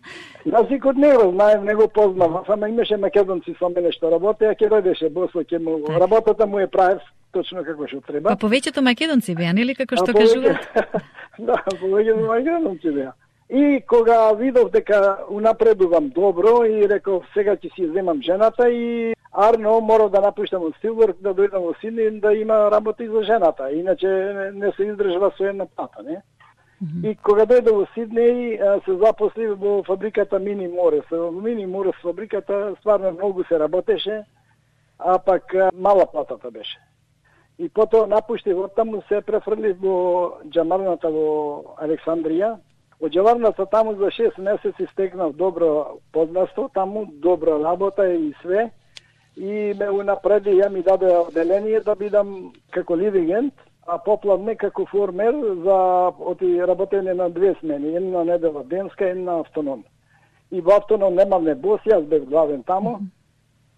Speaker 5: Јазикот не го знаем, не го познавам, само имаше македонци со мене што работеа, ќе дојдеше Босло, ќе му работата му е правев точно како што треба.
Speaker 3: Па повеќето македонци беа, нели како што кажуваат?
Speaker 5: Да, повеќето македонци беа. И кога видов дека унапредувам добро и реков сега ќе си земам жената и Арно мора да напуштам од Стилворк да дојдам во Сидни да има работа и за жената, иначе не се издржува со една плата, не? И кога дојдов во Сиднеј се запосли во фабриката Мини Морес. Во Мини Морес фабриката стварно многу се работеше, а пак мала платата беше. И потоа напуштив од таму, се префрлив во џамарната во Александрија. Од џамарната таму за 6 месеци стекнав добро познанство, таму добра работа и све. И ме унапреди, ја ми даде одделение да бидам како лидигент, а поплавне како формер за работење на 2 смени, една недела денска, една автоном. И во автоном немавме бос, јас бев главен таму.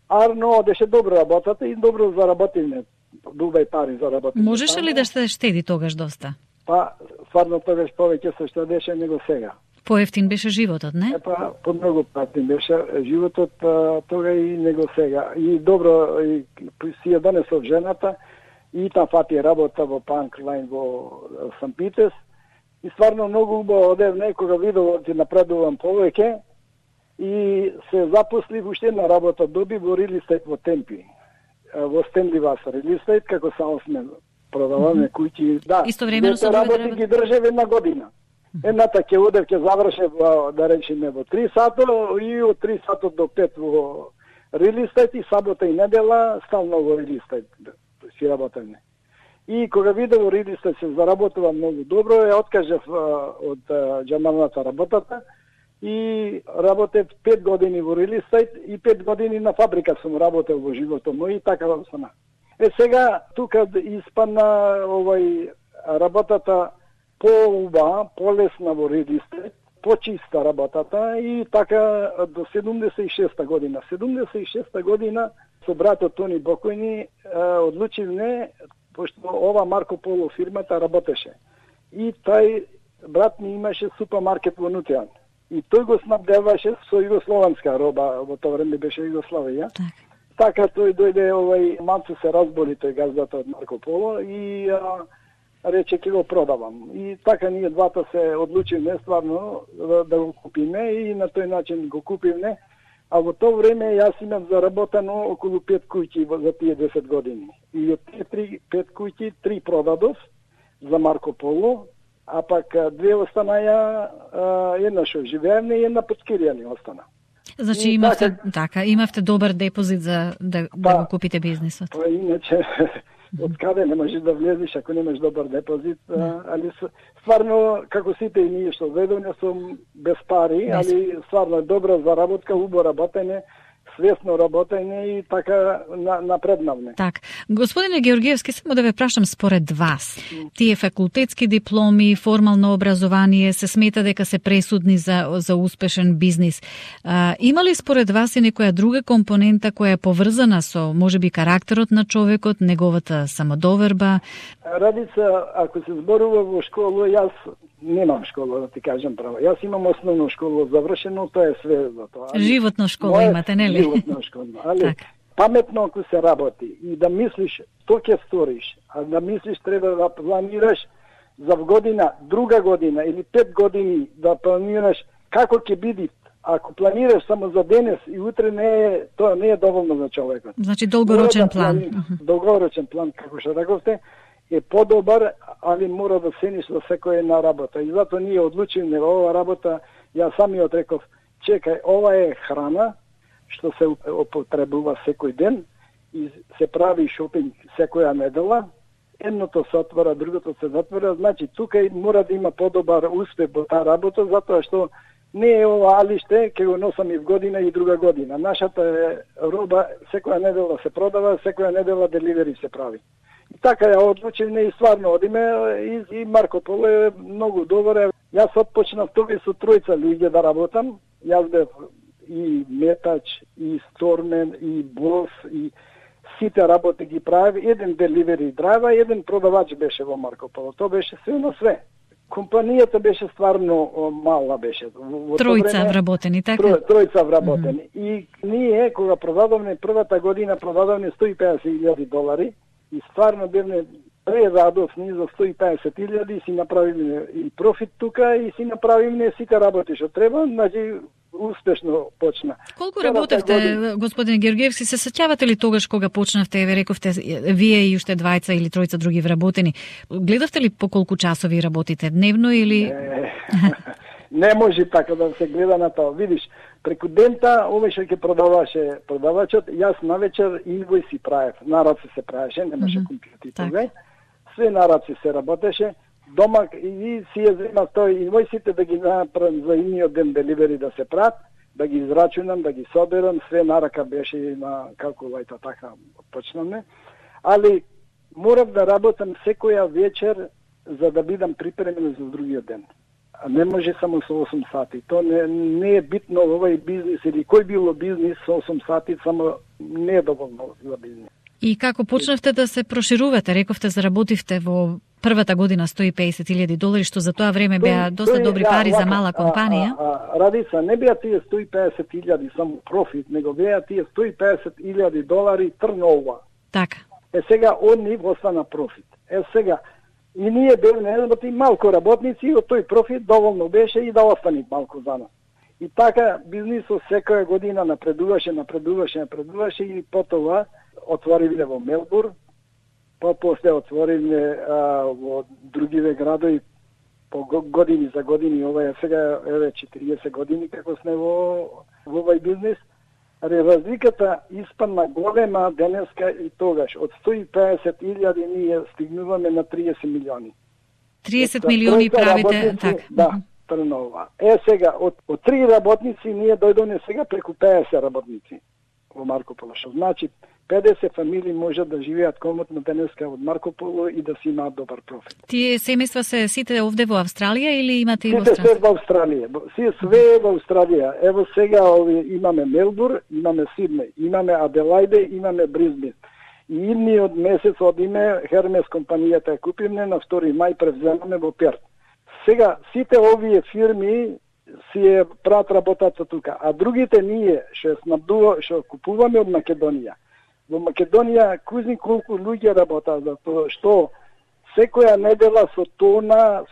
Speaker 5: Арно одеше добро работата и добро заработиме. Дубај пари заработиме.
Speaker 3: Можеше ли да се штеди тогаш доста?
Speaker 5: Па, стварно тогаш повеќе се штедеше него сега.
Speaker 3: Поевтин беше животот, не?
Speaker 5: Па, помногу поевтин беше животот тога и него сега. И добро, и си ја донесов жената, и там фати работа во Панк Лайн во Сан Питес. И стварно многу убаво одев некога видов ќе напредувам повеќе и се запослив уште една работа доби во Рил Естейт во Темпи. Во Стенли Васа Рил Естейт како салсмен продаваме куќи. Да,
Speaker 3: истовремено со
Speaker 5: работи ги држев една година. Едната ќе одев, ќе завршев, да речеме, во 3 сата и од 3 сата до 5 во релистайт и сабота и недела стално во релистайт си работевме. И кога видев во релистайт се заработува многу добро, ја откажав од џамалната работата и работев 5 години во релистайт и 5 години на фабрика сум работел во животот мој и така стана. Сега тука испадна работата по-уба, по-лесна во релистайт, почиста работата и така до 76-та година. 76-та година со братот Тони Бокојни одлучивме, пошто ова Марко Поло фирмата работеше. И тај брат ми имаше супермаркет во Нутијан. И тој го снабдеваше со југословенска роба, во тоа време беше Југославија. Така тој дојде, малку се разболи тој газдата од Марко Поло и рече ќе го продавам. И така ние двата се одлучивме стварно да го купиме и на тој начин го купивме. А во тоа време јас имав заработено околу 5 куќи за тие 10 години. И од тие 5 куќи 3 продадов за Марко Поло, а пак 2 останаја, една што живеевме и една под Киријани остана.
Speaker 3: Значи имавте добар депозит за да го купите бизнисот.
Speaker 5: Па иначе од каде не можеш да влезеш ако немаш добар депозит, али стварно како сите и ние што ведоме сум без пари, али стварно добра заработка, убаво работење, свесно работење и така напреднавме.
Speaker 3: Так. Господине Георгиевски, само да ве прашам според вас, тие факултетски дипломи, формално образование се смета дека се пресудни за успешен бизнис. Има ли според вас и некоја друга компонента која е поврзана со, можеби, карактерот на човекот, неговата самодоверба?
Speaker 5: Радица, ако се зборува во школа, јас немам школа, да ти кажам право. Јас имам основно школа завршено, тоа е све за тоа.
Speaker 3: Животно школа имате, нели?
Speaker 5: Животно школа, али паметно ако се работи и да мислиш што ќе сториш, а да мислиш треба да планираш за година, друга година или 5 години да планираш како ќе биде. Ако планираш само за денес и утре тоа не е доволно за човекот.
Speaker 3: Значи долгорочен план.
Speaker 5: Долгорочен план, како што рековте, е подобар, али мора да цениш за секоја една работа. И затоа ние одлучивме ова работа, јас самиот реков, чекај, ова е храна, што се употребува секој ден и се прави шопинг секоја недела, едното се отвора, другото се затвора, значи тука мора да има подобар успех во таа работа, затоа што не е ова алиште, ќе го носам и в година и друга година. Нашата роба секоја недела се продава, секоја недела деливери се прави. И така ја одлучивме и стварно одиме и Марко Поло е многу добар. Јас отпочнав тоа со 3 луѓе да работам. Јас бев и метач, и стормен, и бос, и сите работи ги прави. Еден деливери драйва, еден продавач беше во Марко Поло. Тоа беше све на све. Компанијата беше стварно мала беше.
Speaker 3: Тројца вработени, така?
Speaker 5: Тројца вработени. И ние, кога продадовме првата година, продадовме $150,000 и стварно бевме прерадосни за 150,000 и си направиме и профит тука и си направиме сите работи што треба, значи успешно почна.
Speaker 3: Колку работевте, господин Георгиевски, се сеќавате ли тогаш кога почнавте, ве рековте, вие и уште 2 или 3 други вработени, гледавте ли по колку часови работите дневно или...
Speaker 5: Не може така да се гледа на тоа. Видиш, преку дента, овој што ќе продаваше продавачот, јас навечер инвојси правев, на раце се правеше, немаше компјутер тогаш. Све на раце се работеше. Дома и си ја зема тој инвојсите да ги направам за имиот ден деливери да се прават, да ги израчунам, да ги соберам, све на рака беше на калкулајта, така почнаме. Али морав да работам секоја вечер за да бидам припремен за другиот ден. А не може само со 8 сати. То не е битно овој бизнис или кој било бизнис со 8 сати, само не е доволно за бизнис.
Speaker 3: И како почнавте да се проширувате? Рековте, заработивте во првата година $150,000, што за тоа време беа доста добри пари за мала компанија.
Speaker 5: Радица, не беа тие 150,000 само профит, него беа тие $150,000 трнова.
Speaker 3: Така.
Speaker 5: Сега од нив остана профит. Сега и ние бевме малку работници и од тој профит доволно беше и да остани малку за нас. И така бизнисот секоја година напредуваше и потоа отворивме во Мелбурн, па после отвориле во другиве градови по години за години. Ова е сега 40 години како сме во овој бизнес. Разликата испадна голема денеска и тогаш. Од 150.000 ние стигнуваме на 30 милиони.
Speaker 3: 30 милиони правите, така.
Speaker 5: Да, трнова. Сега, од 3 работници ние дојдоме сега преку 50 работници во Марко Поло. Што значи 50 фамилии можат да живеат комотно денеска од Марко Поло и да си имаат добар профит.
Speaker 3: Тие семејства се сите овде во Австралија или имате и во
Speaker 5: Сите се во Австралија. Све во Австралија. Ево сега имаме Мелбурн, имаме Сиднеј, имаме Аделајде, имаме Бризбен. И идниот месец одиме Хермес компанијата ја купиме на 2 мај превземаме во Перт. Сега сите овие фирми си е прават работата тука, а другите ние што купуваме од Македонија. Во Македонија кузни колку луѓе работат, затоа што секоја недела со тона,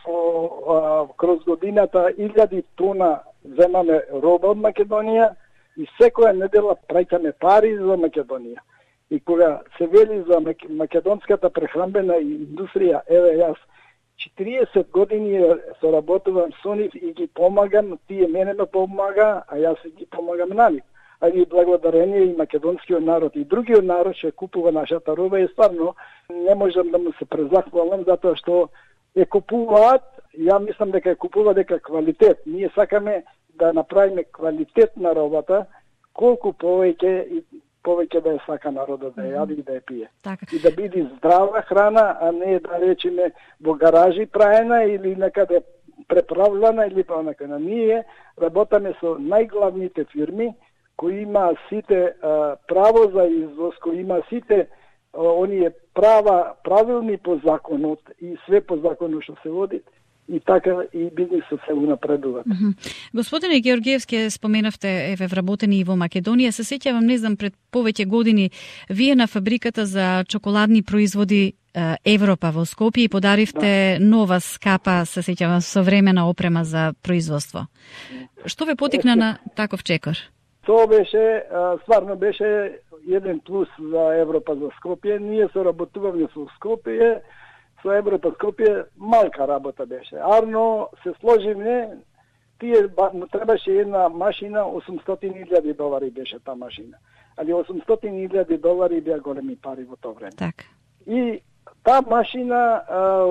Speaker 5: кроз годината 1000 тона земаме роба од Македонија и секоја недела праќаме пари за Македонија. И кога се вели за македонската прехранбена индустрија, еве јас 40 години соработувам со нив и ги помагам, тие мене ме помага, а јас ги помагам на нив. А и благодарение и македонскиот народ и другиот народ што купува нашата роба и стварно не можам да му се презахвалам затоа што е купуваат, ја мислам дека е купува дека квалитет. Ние сакаме да направиме квалитет на робата, колку повеќе да ја сака народот да ја јади и да ја пие.
Speaker 3: Така.
Speaker 5: И да биде здрава храна, а не да речеме во гаражи праена или некаде преправлена или па некаде. Ние работаме со најглавните фирми кои има сите право за извоз, кои има сите оние правилни по законот и све по законот што се води и така и бизнисот се унапредува.
Speaker 3: Господине Георгиевски, споменавте вработени и во Македонија. Се сеќавам, не знам, пред повеќе години вие на фабриката за чоколадни производи Европа во Скопје и подаривте нова скапа, се сеќавам, современа опрема за производство. Што ве потикна на таков чекор?
Speaker 5: Тоа беше, стварно беше еден плюс за Европа за Скопје. Ние соработуваме со Скопје, со Европа Скопје, малка работа беше. Арно се сложивме, тие му требаше една машина, $800,000 беше таа машина. Али $800,000 беа големи пари во тоа време.
Speaker 3: Так.
Speaker 5: И таа машина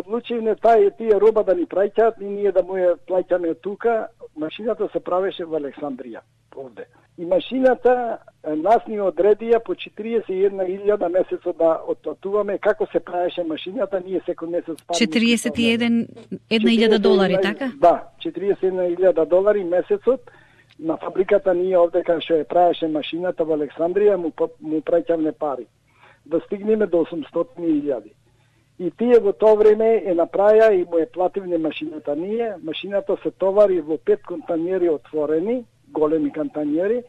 Speaker 5: одлучивме тие роба да ни праќаат и ние да му ја плаќаме тука. Машината се правеше во Александрија, овде. И машината нас ни одредија по 41,000 месецот да отплатуваме како се правеше машината, ние секој месец пари.
Speaker 3: $41,000, така?
Speaker 5: Да, $41,000 месецот на фабриката ние овде кај што ја правеше машината во Александрија му праќавме пари. Да стигнеме до 800,000. И тие во тоа време е направија и му е плативне машината ние. Машината се товари во 5 контаинери отворени, големи контаинери,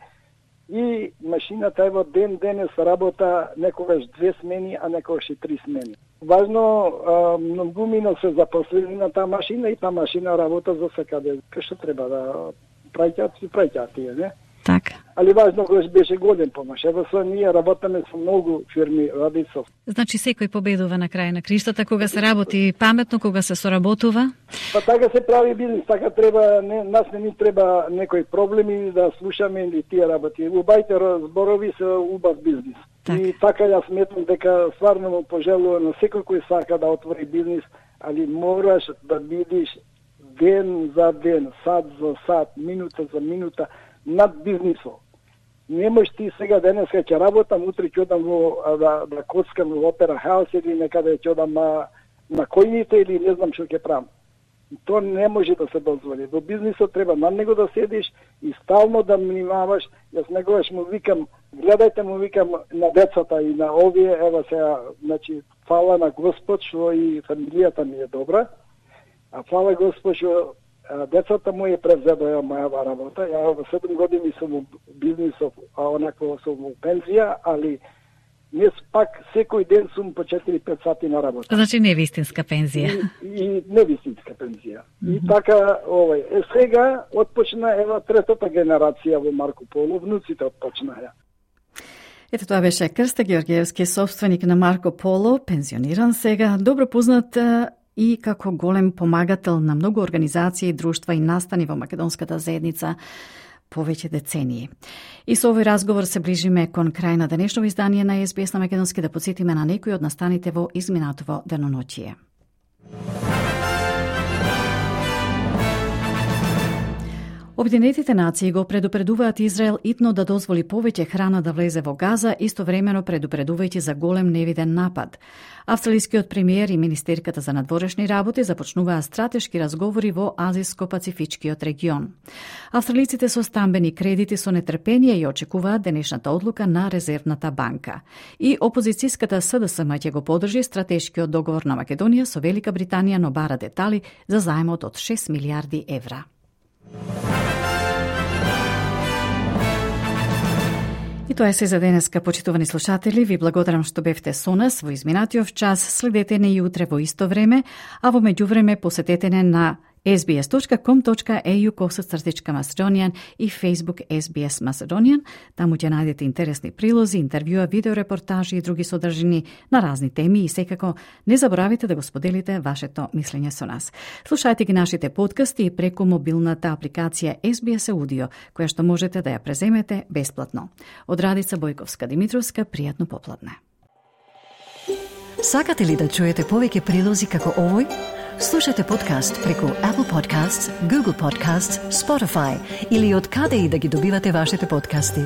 Speaker 5: и машината ево денес работа некогаш 2 смени, а некогаш и 3 смени. Важно, многумина се запослени на таа машина и таа машина работа за секаде. Што треба да праќаат тие, не?
Speaker 3: Така.
Speaker 5: Али важно беше голем помош. Ево со ние работаме со многу фирми Радицов.
Speaker 3: Значи секој победува на крај на криштата кога се работи паметно, кога се соработува?
Speaker 5: Па така се прави бизнис, така треба, нас не ни треба некои проблеми да слушаме или тие работи. Убајте зборови се убав бизнис. Так. И така ја сметам дека стварно му пожелувам на секој кој сака да отвори бизнис, али мораш да бидиш ден за ден, сат за сат, минута за минута над бизнисот. Не можеш ти сега денеска ќе работам, утре ќе одам да коцкам во Опера Хаус или некаде ќе одам на којните или не знам што ќе правам. Тоа не може да се дозволи. Во бизнисот треба над него да седиш и стално да внимаваш. Јас негогаш му викам, гледајте му викам на децата и на овие, ева сега, значи, фала на Господ што и фамилијата ми е добра, а фала Господ што децата му е превзедоја моја работа. Ја во 7 години сум во бизнисот, а онакво сум во пензија, али не пак секој ден сум по 4-5 сати на работа.
Speaker 3: Значи не вистинска пензија.
Speaker 5: И не вистинска пензија. И така, сега отпочна ева третата генерација во Марко Поло, внуците отпочнаја.
Speaker 3: Ето тоа беше Крста Георгиевски, собственик на Марко Поло, пензиониран сега, добро познат и како голем помагател на многу организации, друштва и настани во македонската заедница повеќе децении. И со овој разговор се ближиме кон крај на денешно издание на SBS на македонски, да подсетиме на некои од настаните во изминатово деноноќие. Обединетите нации го предупредуваат Израел итно да дозволи повеќе храна да влезе во Газа, истовремено предупредувајќи за голем невиден напад. Австралискиот премиер и министерката за надворешни работи започнуваа стратешки разговори во Азиско-Пацифичкиот регион. Австралиците со стамбени кредити со нетрпение и очекуваат денешната одлука на Резервната банка. И опозицијската СДСМ ќе го подржи стратешкиот договор на Македонија со Велика Британија, но бара детали за заемот од 6 милиарди евра. И тоа е се за денеска, почитувани слушатели. Ви благодарам што бевте со нас во изминатиот час. Следете не и утре во исто време, а во меѓувреме посетете не на sbs.com.au/Macedonian и Facebook SBS Macedonian. Таму ќе најдете интересни прилози, интервјуа, видеорепортажи и други содржини на разни теми и секако не заборавите да го споделите вашето мислење со нас. Слушајте ги нашите подкасти и преку мобилната апликација SBS Audio, која што можете да ја преземете бесплатно. Од Радица Бојковска-Димитровска, пријатно попладне.
Speaker 17: Сакате ли да чуете повеќе прилози како овој? Слушате подкаст преку Apple Podcasts, Google Podcasts, Spotify или од каде и да ги добивате вашите подкасти.